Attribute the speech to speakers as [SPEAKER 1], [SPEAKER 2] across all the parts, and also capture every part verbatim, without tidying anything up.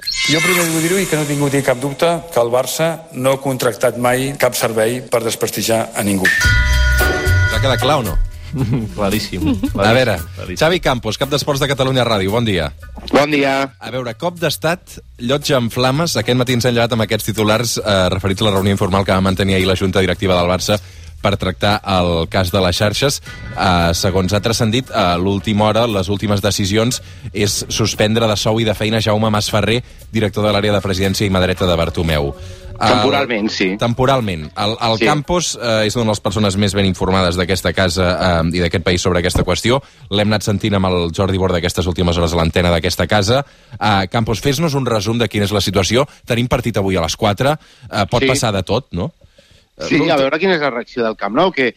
[SPEAKER 1] Jo primer vull dir-ho i que no he tingut cap dubte que el Barça no ha contractat mai cap servei per desprestigiar a ningú.
[SPEAKER 2] T'ha quedat clar o no?
[SPEAKER 3] Claríssim. Claríssim.
[SPEAKER 2] A veure,
[SPEAKER 3] Claríssim.
[SPEAKER 2] Xavi Campos, cap d'Esports de Catalunya Ràdio, bon dia.
[SPEAKER 4] Bon dia.
[SPEAKER 2] A veure, cop d'estat, llotja en flames. Aquest matí ens hem llevat amb aquests titulars eh, referits a la reunió informal que va mantenir ahir la Junta Directiva del Barça per tractar el cas de les xarxes. Eh, segons ha transcendit, a l'última hora, les últimes decisions és suspendre de sou i de feina Jaume Masferrer, director de l'àrea de presidència i mà dreta de Bartomeu.
[SPEAKER 4] Temporalment, sí.
[SPEAKER 2] Temporalment. El, el
[SPEAKER 4] sí.
[SPEAKER 2] Campos eh, és una de les persones més ben informades d'aquesta casa eh, i d'aquest país sobre aquesta qüestió. L'hem anat sentint amb el Jordi Borda aquestes últimes hores a l'antena d'aquesta casa. Eh, Campos, fes-nos un resum de quina és la situació. Tenim partit avui a les quatre. Eh, pot sí. passar de tot, no?
[SPEAKER 4] Sí, a veure quina és la reacció del Camp Nou, que,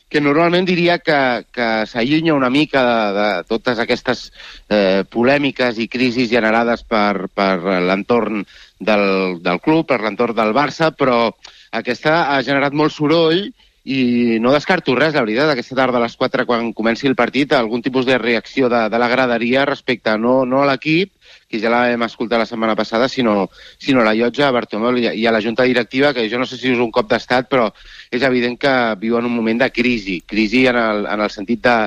[SPEAKER 4] que normalment diria que, que s'allunya una mica de, de totes aquestes eh, polèmiques i crisis generades per, per l'entorn del, del club, per l'entorn del Barça, però aquesta ha generat molt soroll i no descarto res, la veritat, aquesta tarda a les quatre, quan comenci el partit, algun tipus de reacció de, de la graderia respecte no, no a l'equip, que ja la vam escoltar la setmana passada, sinó, sinó a la llotja, a Bartomeu i a la Junta Directiva, que jo no sé si és un cop d'estat, però és evident que viuen un moment de crisi, crisi en el, en el sentit de,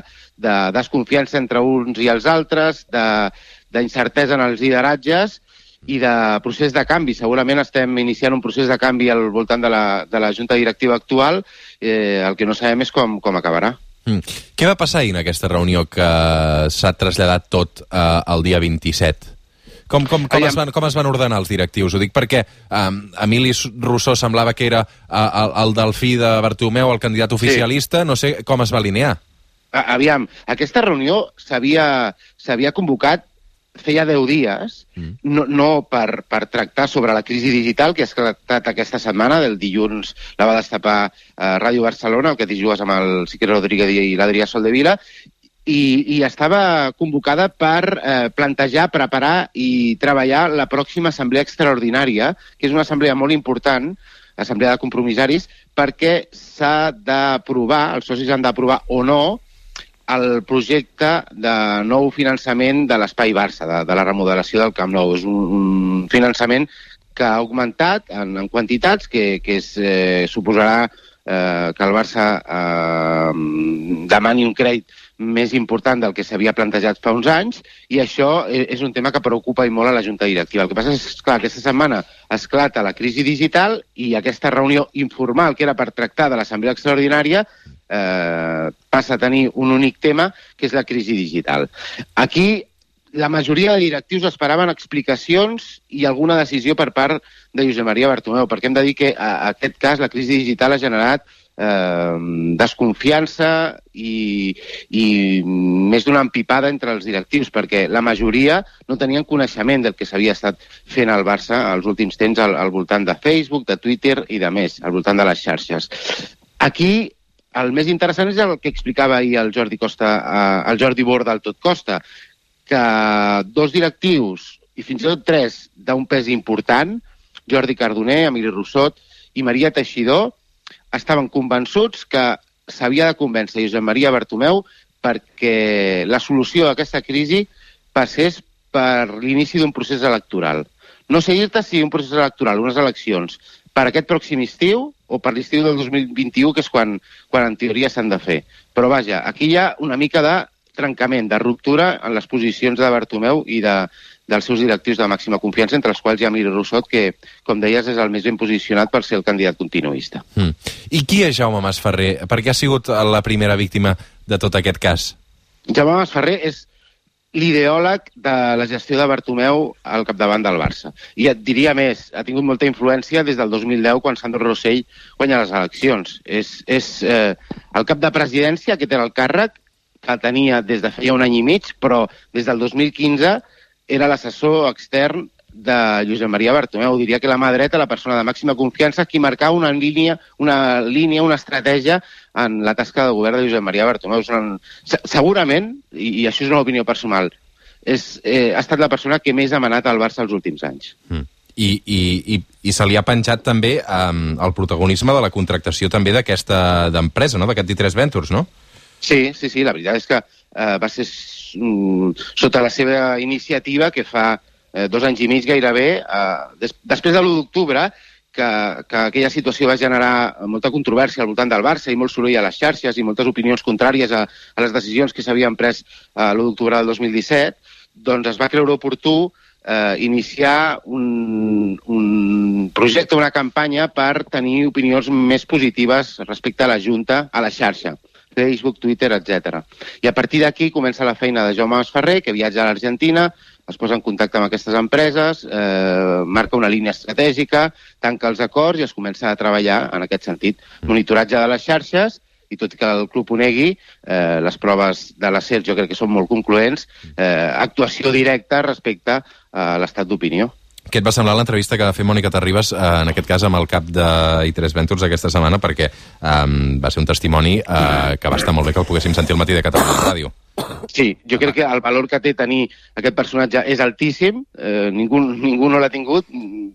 [SPEAKER 4] de desconfiança entre uns i els altres, d'incertesa en els lideratges, i de procés de canvi. Segurament estem iniciant un procés de canvi al voltant de la, de la Junta Directiva actual, eh, el que no sabem és com, com acabarà.
[SPEAKER 2] Mm. Què va passar ahir en aquesta reunió que s'ha traslladat tot eh, el dia vint-i-set? Com, com, com, es van, com es van ordenar els directius? Ho dic perquè um, Emili Rousseau semblava que era uh, el, el delfí de Bartomeu, el candidat oficialista, sí. No sé com es va alinear.
[SPEAKER 4] Aviam, aquesta reunió s'havia convocat feia deu dies, mm. no, no per, per tractar sobre la crisi digital que ha esclatat aquesta setmana, del dilluns la va destapar eh, Ràdio Barcelona, el que t'hi jugues amb el Sique Rodríguez i l'Adrià Soldevila, i, i estava convocada per eh, plantejar, preparar i treballar la pròxima assemblea extraordinària, que és una assemblea molt important, assemblea de compromissaris, perquè s'ha d'aprovar, els socis han d'aprovar o no, el projecte de nou finançament de l'Espai Barça, de, de la remodelació del Camp Nou. És un, un finançament que ha augmentat en, en quantitats, que, que es, eh, suposarà eh, que el Barça eh, demani un crèdit més important del que s'havia plantejat fa uns anys, i això és un tema que preocupa i molt a la Junta Directiva. El que passa és que aquesta setmana esclata la crisi digital i aquesta reunió informal, que era per tractar de l'Assemblea Extraordinària, eh, passa a tenir un únic tema, que és la crisi digital. Aquí la majoria de directius esperaven explicacions i alguna decisió per part de Josep Maria Bartomeu, perquè hem de dir que a, a aquest cas la crisi digital ha generat eh, desconfiança i, i més d'una empipada entre els directius, perquè la majoria no tenien coneixement del que s'havia estat fent al Barça als últims temps al, al voltant de Facebook, de Twitter i de més, al voltant de les xarxes. Aquí el més interessant és el que explicava ahir el Jordi Costa, eh, el Jordi Borda al Tot Costa, que dos directius, i fins i tot tres, d'un pes important, Jordi Cardoner, Emili Rousseau i Maria Teixidor, estaven convençuts que s'havia de convèncer Josep Maria Bartomeu perquè la solució a aquesta crisi passés per l'inici d'un procés electoral. No sé dir-te si un procés electoral, unes eleccions, per aquest pròxim estiu o per l'estiu del dos mil vint-i-u, que és quan, quan en teoria s'han de fer. Però vaja, aquí hi ha una mica de trencament, de ruptura en les posicions de Bartomeu i de, dels seus directius de màxima confiança, entre els quals hi ha Emili Rousseau, que, com deies, és el més ben posicionat per ser el candidat continuista.
[SPEAKER 2] Mm. I qui és Jaume Masferrer? Per què ha sigut la primera víctima de tot aquest cas?
[SPEAKER 4] Jaume Masferrer és l'ideòleg de la gestió de Bartomeu al capdavant del Barça. I et diria més, ha tingut molta influència des del dos mil deu, quan Sandro Rosell guanya les eleccions. És, és eh, el cap de presidència que té el càrrec, que tenia des de feia un any i mig, però des del dos mil quinze era l'assessor extern de Josep Maria Bartomeu. Diria que la mà dreta, la persona de màxima confiança, qui marcava una línia, una línia, una estratègia en la tasca de govern de Josep Maria Bartomeu. Una... Segurament, i, i això és una opinió personal, és, eh, ha estat la persona que més ha manat al Barça els últims anys.
[SPEAKER 2] Mm. I, i, i, i se li ha penjat també um, el protagonisme de la contractació també d'aquesta d'empresa, no? D'aquest I tres Ventures, no?
[SPEAKER 4] Sí, sí, sí, la veritat és que eh, va ser mm, sota la seva iniciativa que fa eh, dos anys i mig gairebé, eh, des, després de l'u d'octubre, que, que aquella situació va generar molta controvèrsia al voltant del Barça i molt soroll a les xarxes i moltes opinions contràries a, a les decisions que s'havien pres a l'u d'octubre del dos mil disset, doncs es va creure oportú eh, iniciar un, un projecte, una campanya per tenir opinions més positives respecte a la Junta, a la xarxa. Facebook, Twitter, etcètera. I a partir d'aquí comença la feina de Jaume Masferrer, que viatja a l'Argentina, es posa en contacte amb aquestes empreses, eh, marca una línia estratègica, tanca els acords i es comença a treballar en aquest sentit. Monitoratge de les xarxes, i tot i que el club ho negui, eh, les proves de la SER jo crec que són molt concloents, eh, actuació directa respecte a l'estat d'opinió.
[SPEAKER 2] Què et va semblar l'entrevista que va fer Mònica Terribas, eh, en aquest cas amb el cap de i tres Ventures aquesta setmana, perquè eh, va ser un testimoni eh, que va estar molt bé que el poguéssim sentir al matí de Catalunya Ràdio.
[SPEAKER 4] Sí, jo crec que el valor que té tenir aquest personatge és altíssim, eh, ningú, ningú no l'ha tingut,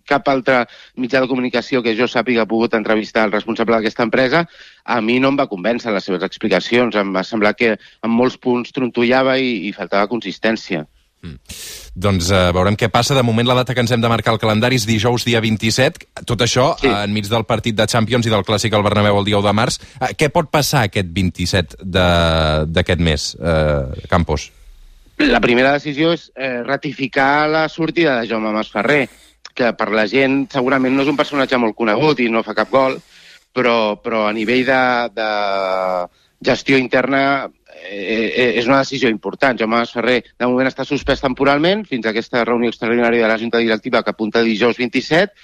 [SPEAKER 4] cap altre mitjà de comunicació que jo sàpiga ha pogut entrevistar el responsable d'aquesta empresa. A mi no em va convèncer les seves explicacions, em va semblar que en molts punts trontollava i, i faltava consistència.
[SPEAKER 2] Mm. Doncs uh, veurem què passa. De moment la data que ens hem de marcar al calendari és dijous dia vint-i-set. Tot això sí. uh, enmig del partit de Champions i del Clàssic al Bernabéu el dia u de març. Uh, què pot passar aquest vint-i-set d'aquest mes, uh, Campos?
[SPEAKER 4] La primera decisió és eh, ratificar la sortida de Jaume Masferrer, que per la gent segurament no és un personatge molt conegut i no fa cap gol, però, però a nivell de, de gestió interna Eh, és una decisió important. Jaume Masferrer de moment està suspès temporalment fins a aquesta reunió extraordinària de la Junta Directiva que apunta dijous vint-i-set.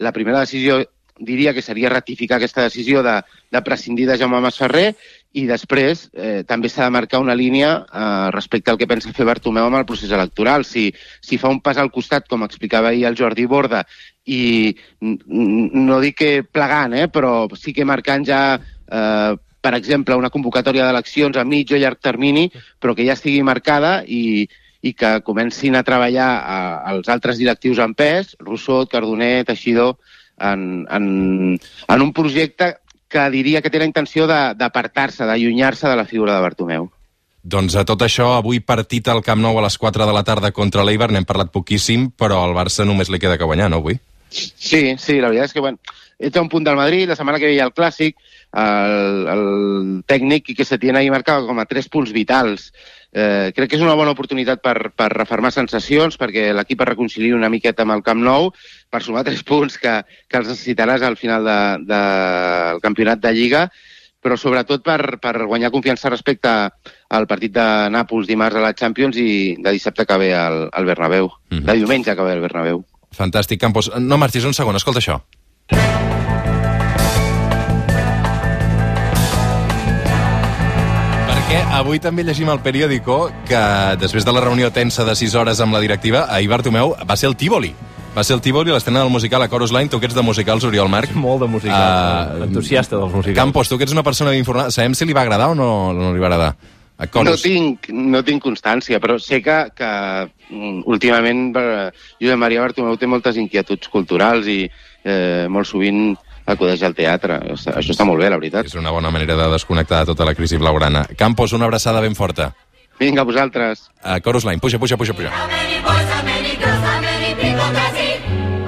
[SPEAKER 4] La primera decisió diria que seria ratificar aquesta decisió de, de prescindir de Jaume Masferrer i després eh, també s'ha de marcar una línia eh, respecte al que pensa fer Bartomeu amb el procés electoral. Si, si fa un pas al costat, com explicava ahir el Jordi Borda, i no dic que plegant, eh, però sí que marcant ja eh, per exemple, una convocatòria d'eleccions a mig o llarg termini, però que ja estigui marcada i, i que comencin a treballar a, als altres directius en pes, Rousseau, Cardoner, Teixidor, en, en, en un projecte que diria que té la intenció d'apartar-se, d'allunyar-se de la figura de Bartomeu.
[SPEAKER 2] Doncs a tot això, avui partit al Camp Nou a les quatre de la tarda contra l'Eibar, n'hem parlat poquíssim, però al Barça només li queda que guanyar, no, avui?
[SPEAKER 4] Sí, sí, la veritat és que, bueno, ets a un punt del Madrid, la setmana que ve hi ha el Clàssic, el, el tècnic Quique Setién ahir marcava com a tres punts vitals. Eh, crec que és una bona oportunitat per, per refermar sensacions, perquè l'equip es reconciliï una miqueta amb el Camp Nou, per sumar tres punts que, que els necessitaràs al final del de, de, campionat de Lliga, però sobretot per, per guanyar confiança respecte al partit de Nàpols dimarts a la Champions i de dissabte que ve al, al Bernabéu, mm-hmm. de diumenge que ve al Bernabéu.
[SPEAKER 2] Fantàstic, Campos. No marxis un segon, escolta això. Avui també llegim al periòdico que després de la reunió tensa de sis hores amb la directiva, ahir Bartomeu va ser el Tívoli. Va ser el Tívoli, l'estrena del musical a Chorus Line. Tu que ets de musicals, Oriol Marc?
[SPEAKER 3] Molt de musicals, uh, entusiasta dels musicals.
[SPEAKER 2] Campos, tu que ets una persona informada, sabem si li va agradar o no, no li va agradar?
[SPEAKER 4] No tinc, no tinc constància, però sé que, que últimament Josep Maria Bartomeu té moltes inquietuds culturals i eh, molt sovint acudeix al teatre. Això està molt bé, la veritat.
[SPEAKER 2] És una bona manera de desconnectar de tota la crisi blaugrana. Campos, una abraçada ben forta.
[SPEAKER 4] Vinga, vosaltres.
[SPEAKER 2] A Chorus Line, puja, puja, puja, puja.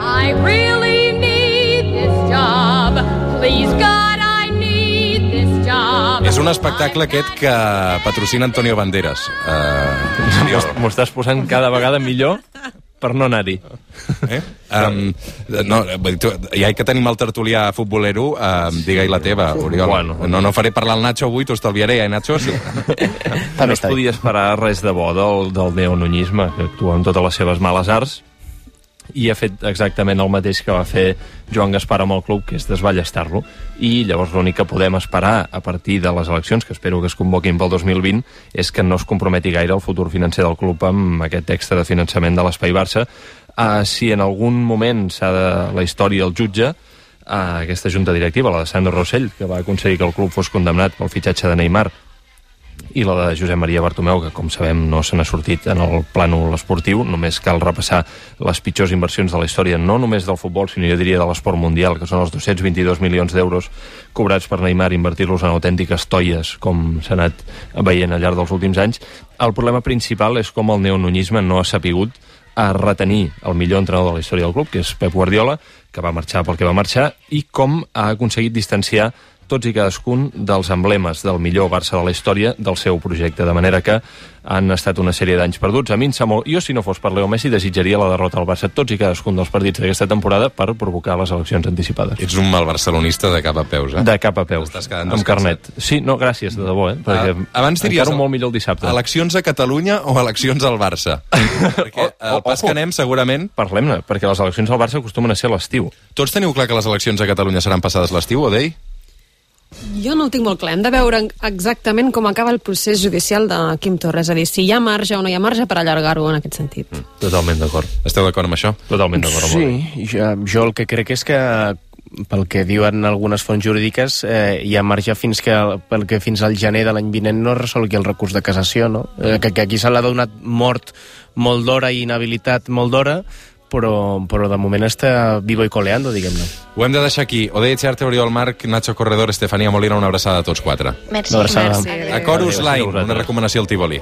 [SPEAKER 5] I really need this job. Please God, I need this job.
[SPEAKER 2] És un espectacle aquest que patrocina Antonio Banderas. Uh,
[SPEAKER 3] M'ho estàs posant cada vegada millor per no anar-hi.
[SPEAKER 2] Eh? Um, no, ja que tenim el tertulià futbolero, um, digue-hi la teva, Oriol. Bueno, no, no faré parlar el Nacho avui, t'ho estalviaré, eh, Nacho? Sí.
[SPEAKER 3] No es podia esperar res de bo del, del neonunyisme, que actua amb totes les seves males arts, i ha fet exactament el mateix que va fer Joan Gaspar amb el club, que és desballestar-lo. I llavors l'únic que podem esperar a partir de les eleccions, que espero que es convoquin pel dos mil vint, és que no es comprometi gaire el futur financer del club amb aquest extra de finançament de l'Espai Barça. Uh, si en algun moment s'ha de la història el jutge, uh, aquesta junta directiva, la de Sandro Rossell, que va aconseguir que el club fos condemnat pel fitxatge de Neymar, i la de Josep Maria Bartomeu, que com sabem no se n'ha sortit en el plànol esportiu. Només cal repassar les pitjors inversions de la història, no només del futbol, sinó jo diria de l'esport mundial, que són els dos-cents vint-i-dos milions d'euros cobrats per Neymar, invertir-los en autèntiques toies, com s'ha anat veient al llarg dels últims anys. El problema principal és com el neonunyisme no ha sapigut a retenir el millor entrenador de la història del club, que és Pep Guardiola, que va marxar pel que va marxar, i com ha aconseguit distanciar tots i cadascun dels emblemes del millor Barça de la història del seu projecte, de manera que han estat una sèrie d'anys perduts. A mi em sap molt... Jo, si no fos per Leo Messi, desitjaria la derrota al Barça tots i cadascun dels partits d'aquesta temporada per provocar les eleccions anticipades.
[SPEAKER 2] Ets un mal barcelonista de cap a peus, eh?
[SPEAKER 3] De cap a peus, amb carnet. Sí, no, gràcies, de debò, eh? Perquè
[SPEAKER 2] uh, abans diries...
[SPEAKER 3] encara molt millor el dissabte.
[SPEAKER 2] Eleccions a Catalunya o eleccions al Barça? Perquè el pas que anem, segurament...
[SPEAKER 3] Parlem-ne, perquè les eleccions al Barça acostumen a ser a l'estiu.
[SPEAKER 2] Tots teniu clar que les eleccions a Catalunya seran passades l'estiu, Odei?
[SPEAKER 6] Jo no ho tinc molt clar. Hem de veure exactament com acaba el procés judicial de Quim Torra. És a dir, si hi ha marge o no hi ha marge per allargar-ho en aquest sentit.
[SPEAKER 3] Mm, totalment d'acord.
[SPEAKER 2] Esteu d'acord amb això?
[SPEAKER 3] Totalment d'acord amb
[SPEAKER 7] Sí, jo, jo el que crec és que pel que diuen algunes fonts jurídiques, eh, hi ha marge fins que, pel que fins al gener de l'any vinent no resolgui el recurs de cassació, no? Eh, que, que aquí se l'ha donat mort molt d'hora i inhabilitat molt d'hora, però, però de moment està vivo i coleando, diguem-ne.
[SPEAKER 2] Ho hem de deixar aquí. Odei Etxearte, Oriol Marc, Nacho Corredor, Estefania Molina, una abraçada a tots quatre.
[SPEAKER 8] Merci.
[SPEAKER 7] Una abraçada.
[SPEAKER 6] Merci.
[SPEAKER 2] A Chorus Line, una recomanació al Tívoli.